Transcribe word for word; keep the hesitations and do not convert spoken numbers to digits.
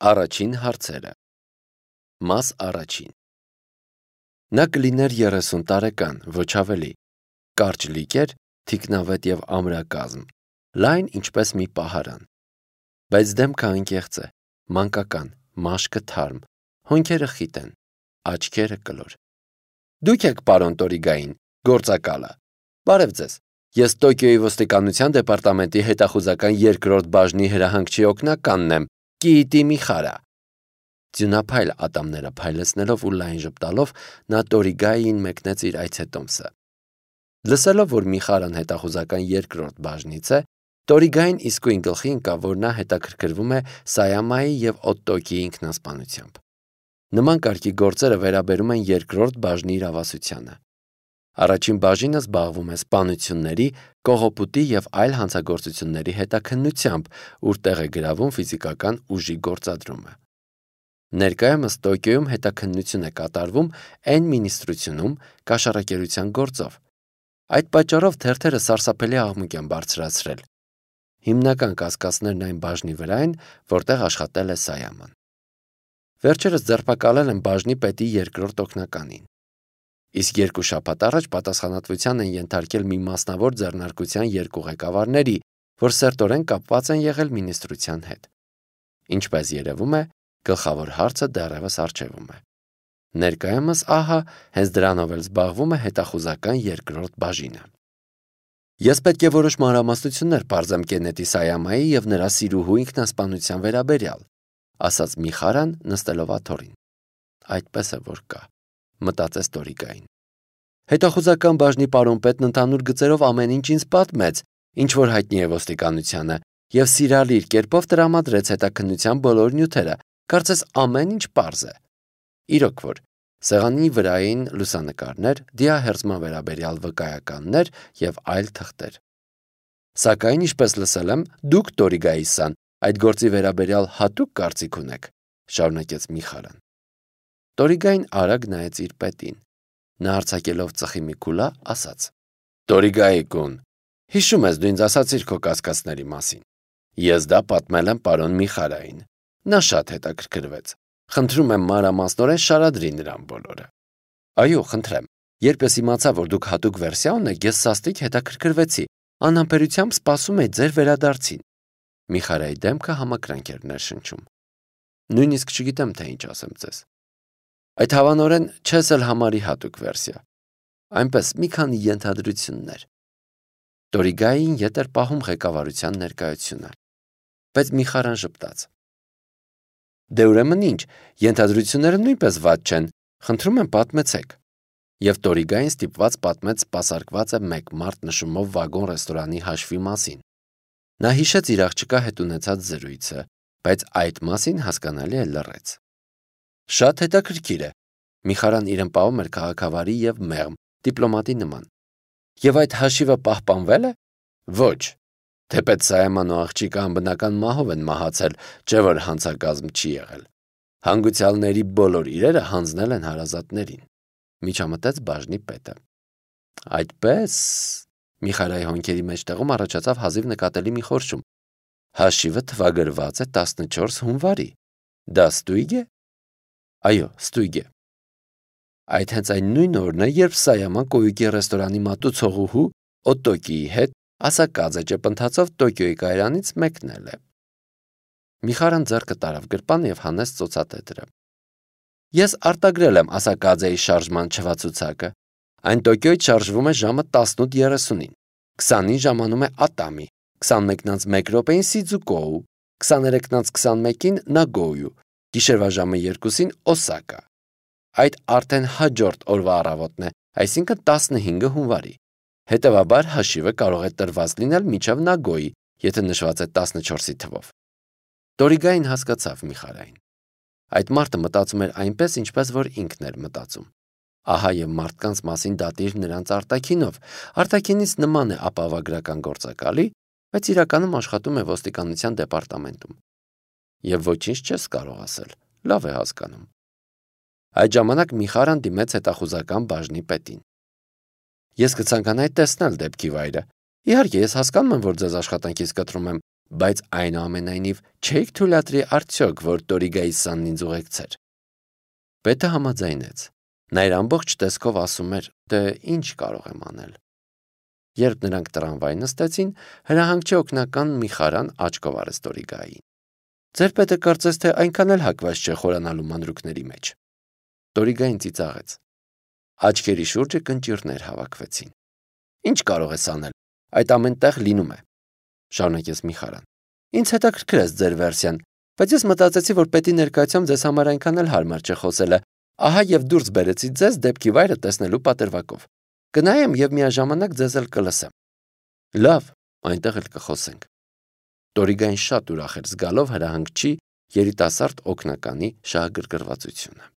Առաջին հարցերը։ Մաս առաջին։ Նա կլիներ երեսուն տարեկան, ոչ ավելի, կարճ լիճեր, թիկնավետ և ամրակազմ, լայն ինչպես մի պահարան, բայց դեմքը անկեղծ է, մանկական, մաշկը թարմ, հոնքերը խիտ են, աչքերը կլոր։ Դուք եք պարոն Տորիգային, գործակալը։ Բարև ձեզ։ Ես Տոկիոյի ոստիկանության դեպարտամենտի հետախուզական երկրորդ բաժնի հրահանգչի օգնականն եմ, Կիիտի Միխարա։ Ձյունափայլ ատամները փայլեցնելով ու լայն ժպտալով նա Տորիգային մեկնեց իր այցետոմսը։ Լսելով, որ Միխարան հետախուզական երկրորդ բաժնից է, Տորիգային իսկույն գլխի ընկավ, որ նա հետաքրքրվում է Սայամայի և Օտոկիի ինքնասպանությամբ։ Նման կարգի գործերը վերաբերում են երկրորդ բաժնի իրավասությանը։ Առաջին բաժինը զբաղվում է սպանությունների, կողոպուտի և այլ հանցագործությունների հետաքննությամբ, ուր տեղ է գրավում ֆիզիկական ուժի գործադրումը։ Ներկայումս Տոկիոյում հետաքննություն է կատարվում Էն մինիստրությունում կաշառակերության գործով։ Այդ պատճառով թերթերը սարսափելի աղմուկ են բարձրացրել։ Հիմնական կասկածներն այն բաժնի վրա են, որտեղ աշխատել է Սայաման։ Վերջերս ձերբակալել են բաժնի պետի երկրորդ օգնականին։ Իսկ երկու շաբաթ առաջ պատասխանատվության են ենթարկել մի մասնավոր ձեռնարկության երկու ղեկավարների, որ սերտորեն կապված են եղել մինիստրության հետ։ Ինչպես երևում է, գլխավոր հարցը դեռևս առջևում է։ Ներկայումս ահա հենց դրանով էլ զբաղվում է հետախուզական երկրորդ բաժինը։ Ես պետք է որոշ մանրամասնություններ պարզեմ Կենետի Սայամայի և նրա սիրուհու ինքնասպանության վերաբերյալ, ասաց Միխարան նստելով աթոռին։ Այդպես է որ կա, մտածեց Տորիգային։ Հետախուզական բաժնի պարոն պետն ընդհանուր գծերով ամեն ինչ ինձ պատմեց, ինչ որ հայտնի է ոստիկանությանը, և սիրալիր կերպով տրամադրեց հետաքննության բոլոր նյութերը, կարծես ամեն ինչ պարզ է։ Իրոք որ, սեղանի վրային լուսանկարներ, դիահերձման վերաբերյալ վկայականներ և այլ թղթեր։ Սակայն, ինչպես լսել եմ, դուք Տորիգայի-սան այդ գործի վերաբերյալ հատուկ կարծիք ունեք, շարունակեց Միխարան։ Տորիգային արագ նայեց իր պետին։ Նա արձակելով ծխի մի քուլա, ասաց. Տորիգայի-կուն, հիշում ես դու ինձ ասացիր քո կասկածների մասին։ Ես դա պատմել եմ պարոն Միխարային։ Նա շատ հետաքրքրվեց։ Խնդրում եմ մանրամասնորեն շարադրի նրան բոլորը։ Այո, խնդրեմ։ Երբ ես իմացա, որ դուք հատուկ վերսիա ունեք, ես սաստիկ հետաքրքրվեցի, անհամբերությամբ սպասում էի ձեր վերադարձին։ Միխարայի դեմքը համակրանք էր ներշնչում։ Նույնիսկ չգիտեմ, թե ինչ ասեմ ձեզ։ Այդ հավանորեն չես էլ համարի հատուկ վերսիա։ Այնպես մի քանի ենթադրություններ։ Տորիգային ետ էր պահում ղեկավարության ներկայությունը։ Բայց Միխարան ժպտաց։ Դե ուրեմն ինչ, ենթադրությունները նույնպես վատ չեն, խնդրում եմ պատմեցեք։ Եվ Տորիգային ստիպված պատմեց սպասարկված է մեկ մարդ նշումով վագոն ռեստորանի հաշվի մասին։ Նա հիշեց իր աղջկա հետ ունեցած զրույցը, բայց այդ մասին հասկանալի է լռեց։ Շատ հետաքրքիր է։ Միխարան իրեն պահում էր քաղաքավարի և մեղմ, դիպլոմատի նման։ Եվ այդ հաշիվը պահպանվել է։ Ոչ։ Թեպետ Սայաման ու աղջիկը անբնական մահով են մահացել, չէ որ հանցագազմ չի եղել։ Հանգուցյալների բոլոր իրերը հանձնել են հարազատներին։ Միջամտեց բաժնի պետը։ Այդպես, Միխարայի հոնքերի մեջտեղում առաջացավ հազիվ նկատելի մի խորշում։ Հաշիվը թվագրված է տասնչորս հունվարի։ Դա ստույգ է։ Այո, ստույգ է։ Այդ հենց այն նույն օրն է, երբ Սայաման Կոյուկի ռեստորանի մատուցողուհու Օտոկիի հետ ասակաձե ճպընթացով Տոկիոյի կայարանից մեկնել է։ Միխարան ձեռքը տարավ գրպանը և հանեց ծոցատետրը։ Ես արտագրել եմ ասակաձեի շարժման չվացուցակը։ Այն Տոկիոյից շարժվում է ժամը տասնութ երեսունին, քսանին ժամանում է Ատամի, քսանմեկն անց մեկ րոպեին Սիձուկոու, քսաներեքն անց քսանմեկին Նագոյու, գիշերվա ժամը երկուսին Օսակա։ Այդ արդեն հաջորդ օրվա առավոտն է, այսինքն տասնհինգը հունվարի։ Հետևաբար հաշիվը կարող է տրված լինել մինչև Նագոյի, եթե նշված է տասնչորսի թվով։ Տորիգային հասկացավ Միխարային։ Այդ մարդը մտածում էր այնպես, ինչպես որ ինքն էր մտածում։ Ահա և մարդկանց մասին դատիր նրանց արտաքինով։ Արտաքինից նման է ապահովագրական գործակալի, բայց իրականում աշխատում է ոստիկանության դեպարտամենտում։ Եվ ոչինչ չես կարող ասել, լավ է հասկանում։ Այդ ժամանակ Միխարան դիմեց հետախուզական բաժնի պետին։ Ես կցանկանայի տեսնել դեպքի վայրը։ Իհարկե, ես հասկանում եմ, որ ձեզ աշխատանքից կտրում եմ, բայց այնուամենայնիվ չէիք թույլատրի արդյոք, որ Տորիգայի սանն ինձ ուղեկցեր։ Պետը համաձայնեց։ Նա իր ամբողջ տեսքով ասում էր, դե ինչ կարող եմ անել։ Երբ նրանք տրամվայ նստեցին, հրահանգչի օգնական մի խարան աչքով արեց Տորիգային։ Ձեր պետը կարծես թե այնքան էլ հակված չէ խորանալու մանրուքների մեջ։ Տորիգային ծիծաղեց։ Աչքերի շուրջը կնճիռներ հավաքվեցին։ Ինչ կարող ես անել, այդ ամեն տեղ լինում է, շարունակեց Միխարան։ Ինձ հետաքրքրեց ձեր վերսիան, բայց ես մտածեցի, որ պետի ներկայությամբ ձեզ համար այնքան էլ հարմար չէ խոսելը, ահա եւ դուրս բերեցի ձեզ դեպքի վայրը տեսնելու պատրվակով։ Կնայեմ եւ միաժամանակ ձեզ էլ կլսեմ։ Լավ, այնտեղ էլ կխոսենք։ Տորիգային շատ ուրախ էր զգալով հրահանգչի երիտասարդ օգնականի շահագրգռվածությունը։